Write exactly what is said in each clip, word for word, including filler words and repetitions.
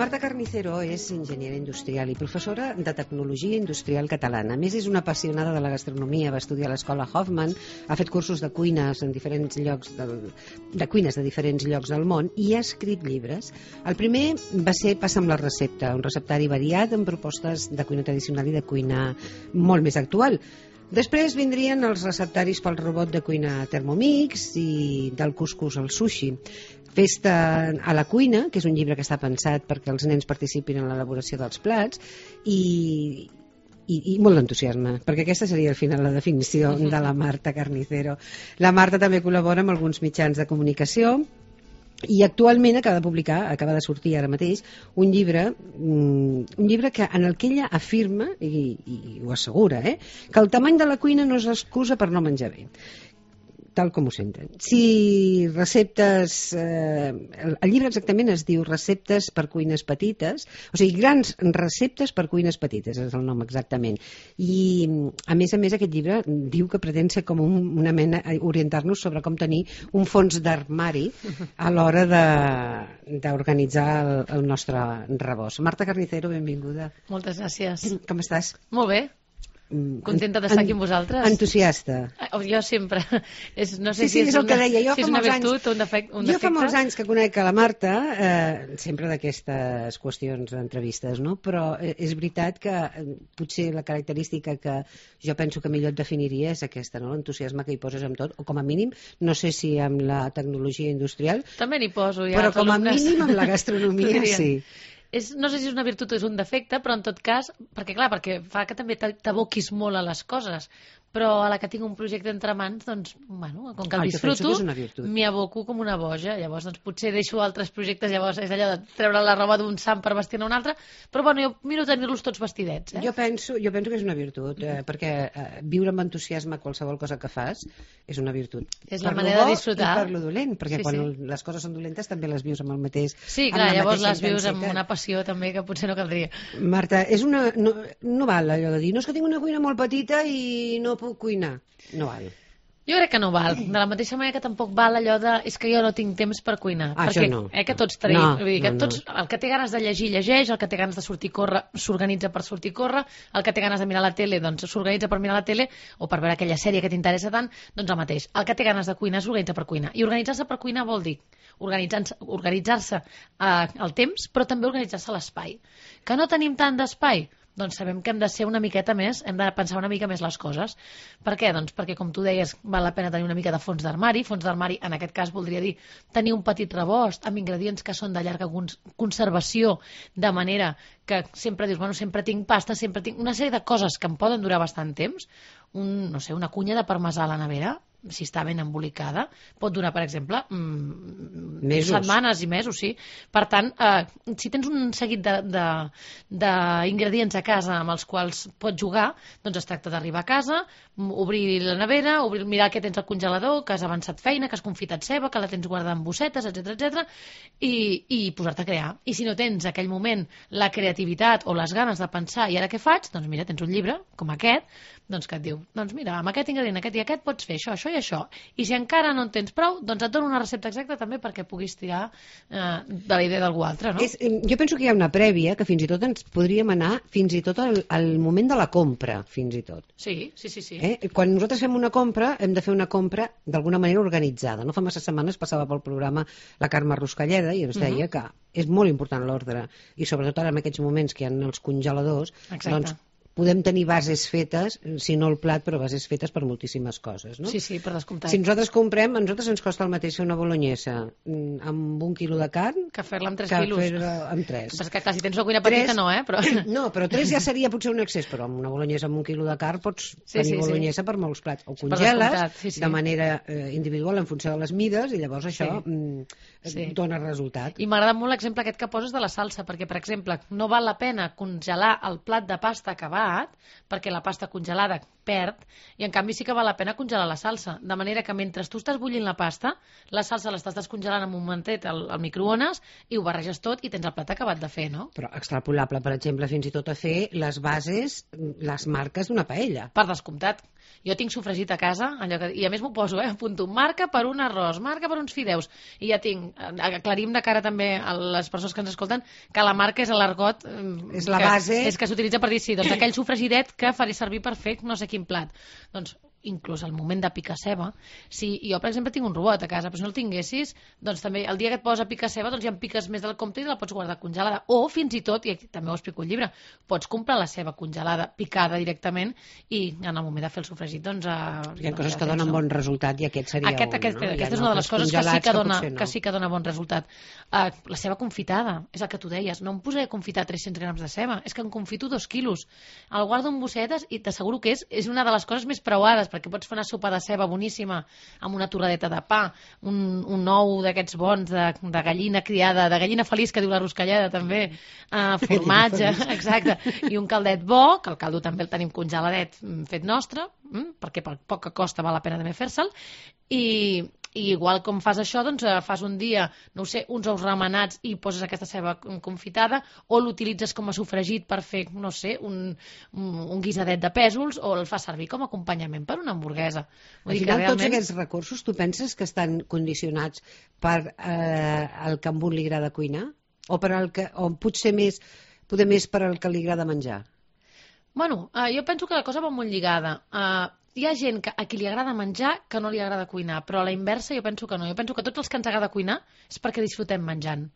Marta Carnicero és enginyera industrial i professora de tecnologia industrial catalana. A més, és una apassionada de la gastronomia, va estudiar a l'escola Hoffman, ha fet cursos de cuines en diferents llocs del, de cuines de diferents llocs del món i ha escrit llibres. El primer va ser Passa amb la recepta, un receptari variat amb propostes de cuina tradicional i de cuina molt més actual. Després vindrien els receptaris pel robot de cuina Thermomix i del cuscús al sushi. Festa a la cuina, que és un llibre que està pensat perquè els nens participin en l'elaboració dels plats, i, i, i molt d'entusiasme, perquè aquesta seria al final la definició de la Marta Carnicero. La Marta també col·labora amb alguns mitjans de comunicació i actualment acaba de publicar, acaba de sortir ara mateix, un llibre, un llibre que, en el que ella afirma, i, i ho assegura, eh, que el tamany de la cuina no és excusa per no menjar bé, tal com ho senten. Si receptes... Eh, el, el llibre exactament es diu Receptes per cuines petites, o sigui, grans receptes per cuines petites, és el nom exactament. I, a més a més, aquest llibre diu que pretén ser com un, una mena, orientar-nos sobre com tenir un fons d'armari a l'hora d'organitzar el, el nostre rebost. Marta Carnicero, benvinguda. Moltes gràcies. Com estàs? Molt bé. Contenta d'estar aquí amb vosaltres. Entusiasta. Jo sempre. És, no sé sí, sí, si és, és el una, que deia. Jo si és una virtut o un defecte. Un jo defecte. fa molts anys que conec a la Marta, eh, sempre d'aquestes qüestions d'entrevistes, no? Però és veritat que eh, potser la característica que jo penso que millor et definiria és aquesta, no? L'entusiasme que hi poses amb tot, o com a mínim, no sé si amb la tecnologia industrial, també n'hi poso ja. Però com a alumnes. mínim amb la gastronomia sí. És, no sé si és una virtut o és un defecte, però en tot cas, perquè clar, perquè fa que també t'aboquis molt a les coses, però a la que tinc un projecte entre mans, doncs, bueno, com que el ah, disfruto, m'hi aboco com una boja. Llavors, doncs, potser deixo altres projectes, llavors és allò de treure la roba d'un sant per vestir-ne un altre, però bueno, jo miro tenir-los tots vestidets. Eh? Jo, penso, jo penso que és una virtut, eh, perquè eh, viure amb entusiasme qualsevol cosa que fas és una virtut. És la manera de disfrutar. I per lo dolent, perquè sí, quan sí. les coses són dolentes també les vius amb el mateix. Sí, clar, llavors les vius amb una passió també que potser no caldria. Marta, és una, no, no val allò de dir, no és que tinc una cuina molt petita i no puc cuinar. No val. Jo crec que no val. De la mateixa manera que tampoc val allò de és que jo no tinc temps per cuinar. Ah, perquè, això no. Eh, que tots tenim. No, vull dir, que no, tots, el que té ganes de llegir, llegeix, el que té ganes de sortir a córrer, s'organitza per sortir a córrer, el que té ganes de mirar la tele, doncs s'organitza per mirar la tele, o per veure aquella sèrie que t'interessa tant, doncs el mateix. El que té ganes de cuinar s'organitza per cuinar. I organitzar-se per cuinar vol dir organitzar-se organitzar-se eh, el temps, però també organitzar-se l'espai. Que no tenim tant d'espai? Doncs sabem que hem de ser una miqueta més, hem de pensar una mica més les coses. Per què? Doncs perquè, com tu deies, val la pena tenir una mica de fons d'armari. Fons d'armari, en aquest cas, voldria dir tenir un petit rebost amb ingredients que són de llarga conservació, de manera que sempre dius, bueno, sempre tinc pasta, sempre tinc una sèrie de coses que em poden durar bastant temps. Un, no sé, una cunya de parmesà a la nevera, si està ben embolicada, pot durar, per exemple, mmm, mesos. setmanes i mesos, sí. Per tant, eh, si tens un seguit d'ingredients a casa amb els quals pots jugar, doncs es tracta d'arribar a casa, obrir la nevera, obrir, mirar què tens al congelador, que has avançat feina, que has confitat ceba, que la tens guardada en bossetes, etcètera, etcètera, i, i posar-te a crear. I si no tens aquell moment la creativitat o les ganes de pensar i ara què faig, doncs mira, tens un llibre com aquest, doncs que et diu, doncs mira, amb aquest ingredient, aquest i aquest pots fer això, això i això. I si encara no en tens prou, doncs et dono una recepta exacta també perquè puguis tirar eh, de la idea d'algú altre, no? És, jo penso que hi ha una prèvia que fins i tot ens podríem anar fins i tot al, al moment de la compra, fins i tot. Sí, sí, sí. sí. Eh? Quan nosaltres fem una compra, hem de fer una compra d'alguna manera organitzada. No fa massa setmanes passava pel programa la Carme Ruscalleda i ens deia uh -huh. que és molt important l'ordre i sobretot ara en aquests moments que hi ha els congeladors, exacte. Doncs podem tenir bases fetes, si no el plat, però bases fetes per moltíssimes coses, no? Sí, sí, per descomptat. Si nosaltres comprem, a nosaltres ens costa el mateix fer una bolognesa amb un quilo de carn que fer-la amb tres que quilos. fer-la amb tres. Però és que clar, si tens una cuina petita tres, no, eh? Però... No, però tres ja seria potser un excés, però amb una bolognesa amb un quilo de carn pots sí, tenir sí, bolognesa sí. per molts plats. O congeles sí, sí. de manera eh, individual en funció de les mides i llavors això sí. mm, sí. dona resultat. I m'agrada molt l'exemple aquest que poses de la salsa, perquè, per exemple, no val la pena congelar el plat de pasta acabat, perquè la pasta congelada perd, i en canvi sí que val la pena congelar la salsa, de manera que mentre tu estàs bullint la pasta, la salsa l'estàs descongelant amb un momentet al, al microones i ho barreges tot i tens el plat acabat de fer, no? Però extrapolable, per exemple, fins i tot a fer les bases, les marques d'una paella. Per descomptat. Jo tinc sofregit a casa, allò que, i a més m'ho poso, eh? Apunto marca per un arròs, marca per uns fideus, i ja tinc, aclarim de cara també a les persones que ens escolten que la marca és l'argot, és la que, base, és que s'utilitza per dir sí, doncs aquell sofregidet que faré servir per fer no sé quin plat. Doncs inclús al moment de picar ceba, si jo per exemple tinc un robot a casa, però si no el tinguessis, doncs també el dia que et poses a picar ceba doncs ja en piques més del compte i la pots guardar congelada, o fins i tot, i aquí també ho explico al llibre, pots comprar la ceba congelada, picada directament, i en el moment de fer el sofregit doncs... Eh, hi ha coses que donen bon resultat i aquest seria aquest, un, aquest, no? Aquesta és una de les coses que sí que, dona, que, no. que sí que dona bon resultat. Uh, la ceba confitada, és el que tu deies, no em posaré a confitar tres-cents grams de ceba, és que em confito dos quilos, el guardo en bossetes i t'asseguro que és, és una de les coses més preuades, perquè pots fer una sopa de ceba boníssima amb una torradeta de pa, un, un ou d'aquests bons de, de gallina criada, de gallina feliç que diu la Ruscalleda també, uh, formatge, exacte, i un caldet bo, que el caldo també el tenim congeladet fet nostre, mm, perquè per poc que costa val la pena també fer-se'l, i i igual com fas això, doncs fas un dia, no ho sé, uns ous remenats i poses aquesta ceba confitada, o l'utilitzes com a sofregit per fer, no sé, un, un, un guisadet de pèsols, o el fas servir com a acompanyament per una hamburguesa. Vull dir que realment... tots aquests recursos, tu penses que estan condicionats per eh, el que a un li agrada cuinar? O, per el que, o potser més, poder més per al que li agrada menjar? Bueno, eh, jo penso que la cosa va molt lligada. Eh, hi ha gent que, a qui li agrada menjar que no li agrada cuinar, però a la inversa jo penso que no. Jo penso que tots els que ens agrada cuinar és perquè disfrutem menjant.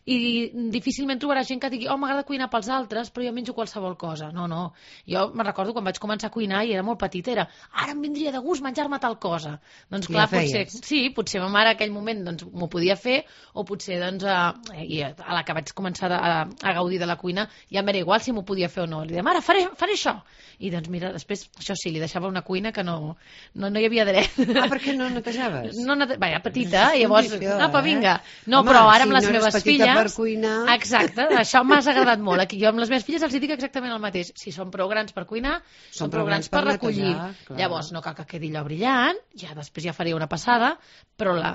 I difícilment trobarà gent que digui oh, m'agrada cuinar pels altres, però jo menjo qualsevol cosa. No, no. Jo me'n recordo quan vaig començar a cuinar i era molt petita, era ara em vindria de gust menjar-me tal cosa. Doncs clar, ja potser, sí, potser ma mare en aquell moment doncs, m'ho podia fer, o potser doncs, a, i a la que vaig començar a, a gaudir de la cuina ja m'era igual si m'ho podia fer o no. Li deia, mare, faré, faré això. I doncs mira, després, això sí, li deixava una cuina que no, no, no hi havia dret. Ah, per què no netejaves? No, nete... Vaja, petita, i llavors, condició, apa, vinga. No, Home, però ara si amb les no meves filles... per cuinar... Exacte, això m'ha agradat molt. Aquí jo amb les meves filles els dic exactament el mateix. Si són prou grans per cuinar, són, són prou grans per, per recollir. Netejar, llavors no cal que quedi allò brillant, ja després ja faria una passada, però la,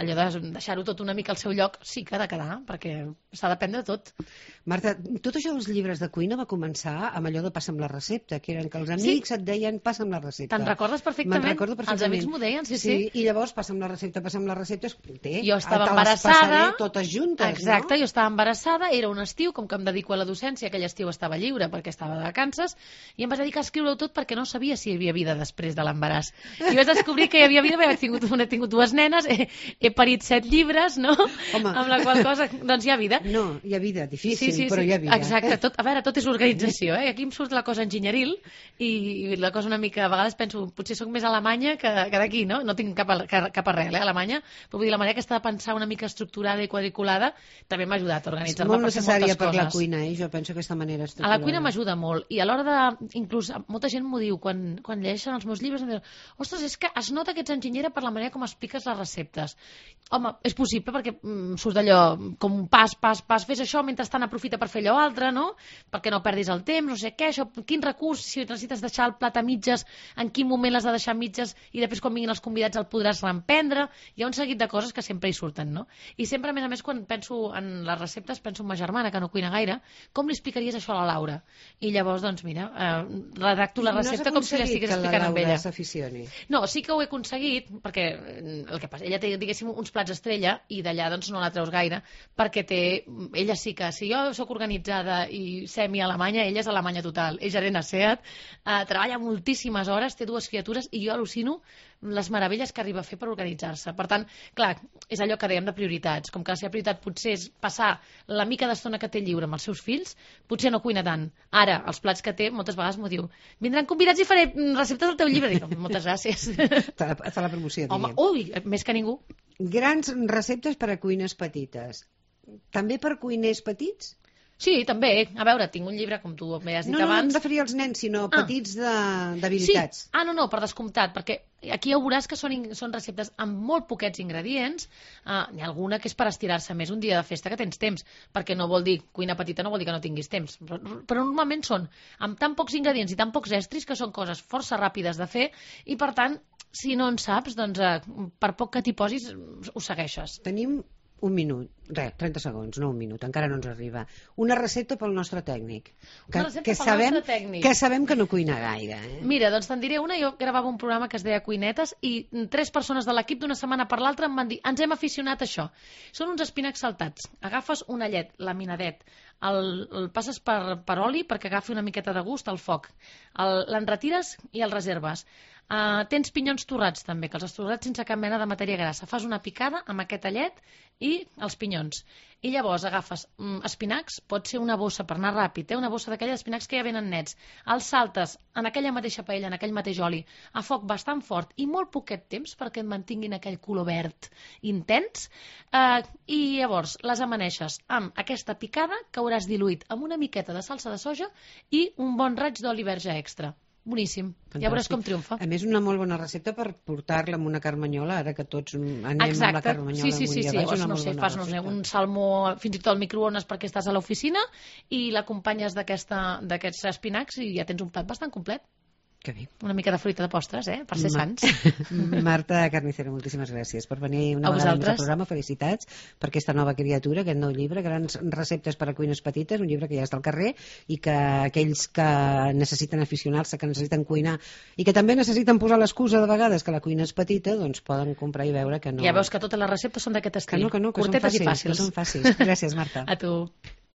allò de deixar-ho tot una mica al seu lloc sí que ha de quedar, perquè s'ha d'aprendre de tot. Marta, tot això dels llibres de cuina va començar amb allò de passa'm la recepta, que eren que els amics sí? et deien passa'm la recepta. Te'n recordes perfectament? recordo perfectament. Els amics m'ho deien, sí, sí, sí. I llavors passa'm la recepta, passa'm la recepta, té, jo estava embarassada, totes juntes, exacte, no? Jo estava embarassada, era un estiu, com que em dedico a la docència, aquell estiu estava lliure perquè estava de vacances, i em vaig dedicar a escriure-ho tot perquè no sabia si hi havia vida després de l'embaràs. I vaig descobrir que hi havia vida, perquè he tingut, he tingut dues nenes, he, he parit set llibres, no? Home. Amb la qual cosa, doncs hi ha vida. No, hi ha vida, difícil, sí, sí, però sí. hi ha vida. Exacte, tot, a veure, tot és organització, eh? Aquí em surt la cosa enginyeril i, i la cosa una mica, a vegades penso, potser sóc més alemanya que, que d'aquí, no? No tinc cap, cap arrel, eh, Alemanya, però vull dir, la manera aquesta de pensar una mica estructurada i quadriculada també m'ha ajudat a organitzar-me per fer moltes coses. És molt necessària per la cuina, eh? Jo penso aquesta manera estructurada. A la cuina m'ajuda molt, i a l'hora de, inclús, molta gent m'ho diu, quan, quan llegeixen els meus llibres, em diuen, ostres, és que es nota que ets enginyera per la manera com expliques les receptes. Home, és possible perquè mm, surt d'allò com un pas, pas, pas, fes això, mentrestant aprofita per fer allò altre, no? Perquè no perdis el temps, no sé què, això, quin recurs, si necessites deixar el plat a mitges, en quin moment l'has de deixar a mitges i després quan vinguin els convidats el podràs reemprendre. Hi ha un seguit de coses que sempre hi surten, no? I sempre, a més a més, quan penso en les receptes, penso en ma germana, que no cuina gaire, com li explicaries això a la Laura? I llavors, doncs mira, eh, redacto la recepta no com si l'estigués explicant amb ella. S'aficioni. No, sí que ho he aconseguit, perquè el que passa, ella té, diguéssim, uns plats estrella i d'allà doncs no la treus gaire, perquè té, ella sí que, si jo sóc organitzada i semi-alemanya, ella és alemanya total, és gerent a SEAT, eh, treballa moltíssimes hores, té dues criatures i jo al·lucino les meravelles que arriba a fer per organitzar-se. Per tant, clar, és allò que dèiem de prioritats. Com que la seva prioritat potser és passar la mica d'estona que té lliure amb els seus fills, potser no cuina tant. Ara, els plats que té, moltes vegades m'ho diu, vindran convidats i faré receptes del teu llibre. Dic, moltes gràcies. Fa la, fa la promoció, home, ui, més que ningú. Grans receptes per a cuines petites. També per cuiners petits? Sí, també. A veure, tinc un llibre, com tu m'he has dit no, no, abans. No, no em referia als nens, sinó ah. petits d'habilitats. Sí. Ah, no, no, per descomptat, perquè aquí ja veuràs que són, són receptes amb molt poquets ingredients. Uh, n'hi ha alguna que és per estirar-se més un dia de festa que tens temps, perquè no vol dir, cuina petita no vol dir que no tinguis temps, però, però normalment són amb tan pocs ingredients i tan pocs estris que són coses força ràpides de fer i, per tant, si no en saps, doncs uh, per poc que t'hi posis, ho segueixes. Tenim Un minut, res, trenta segons, no un minut, encara no ens arriba. Una recepta pel nostre tècnic. Que, Una recepta que pel sabem, nostre tècnic. Que sabem que no cuina gaire. Eh? Mira, doncs te'n diré una. Jo gravava un programa que es deia Cuinetes i tres persones de l'equip d'una setmana per l'altra em van dir ens hem aficionat a això. Són uns espinacs saltats. Agafes un allet, laminadet, el, el passes per, per oli perquè agafi una miqueta de gust al foc. L'enretires i el reserves. Uh, tens pinyons torrats també, que els has torrat sense cap mena de matèria grassa. Fas una picada amb aquest allet i els pinyons. I llavors agafes mm, espinacs, pot ser una bossa per anar ràpid, eh? Una bossa d'aquelles espinacs que ja venen nets. Els saltes en aquella mateixa paella, en aquell mateix oli, a foc bastant fort i molt poquet temps perquè et mantinguin aquell color verd intens. Uh, I llavors les amaneixes amb aquesta picada que hauràs diluït amb una miqueta de salsa de soja i un bon raig d'oli verge extra. Boníssim. Fantàstic. Ja veuràs com triomfa. A més, una molt bona recepta per portar-la amb una carmanyola, ara que tots anem Exacte. amb la carmanyola. Sí, sí, sí, sí. Llavors, no sé, fas no sé, un salmó fins i tot al microones perquè estàs a l'oficina i l'acompanyes d'aquests espinacs i ja tens un plat bastant complet. Que bé. Una mica de fruita de postres, eh? Per ser Ma sants. Marta Carnicero, moltíssimes gràcies per venir una a vegada vosaltres. més al programa. Felicitats per aquesta nova criatura, aquest nou llibre, grans receptes per a cuines petites, un llibre que ja està al carrer i que aquells que necessiten aficionar-se, que necessiten cuinar i que també necessiten posar l'excusa de vegades que la cuina és petita, doncs poden comprar i veure que no... Ja veus que totes les receptes són d'aquest estil. Que no, que no, que curtetes són fàcils, i fàcils. Que són fàcils. Gràcies, Marta. A tu.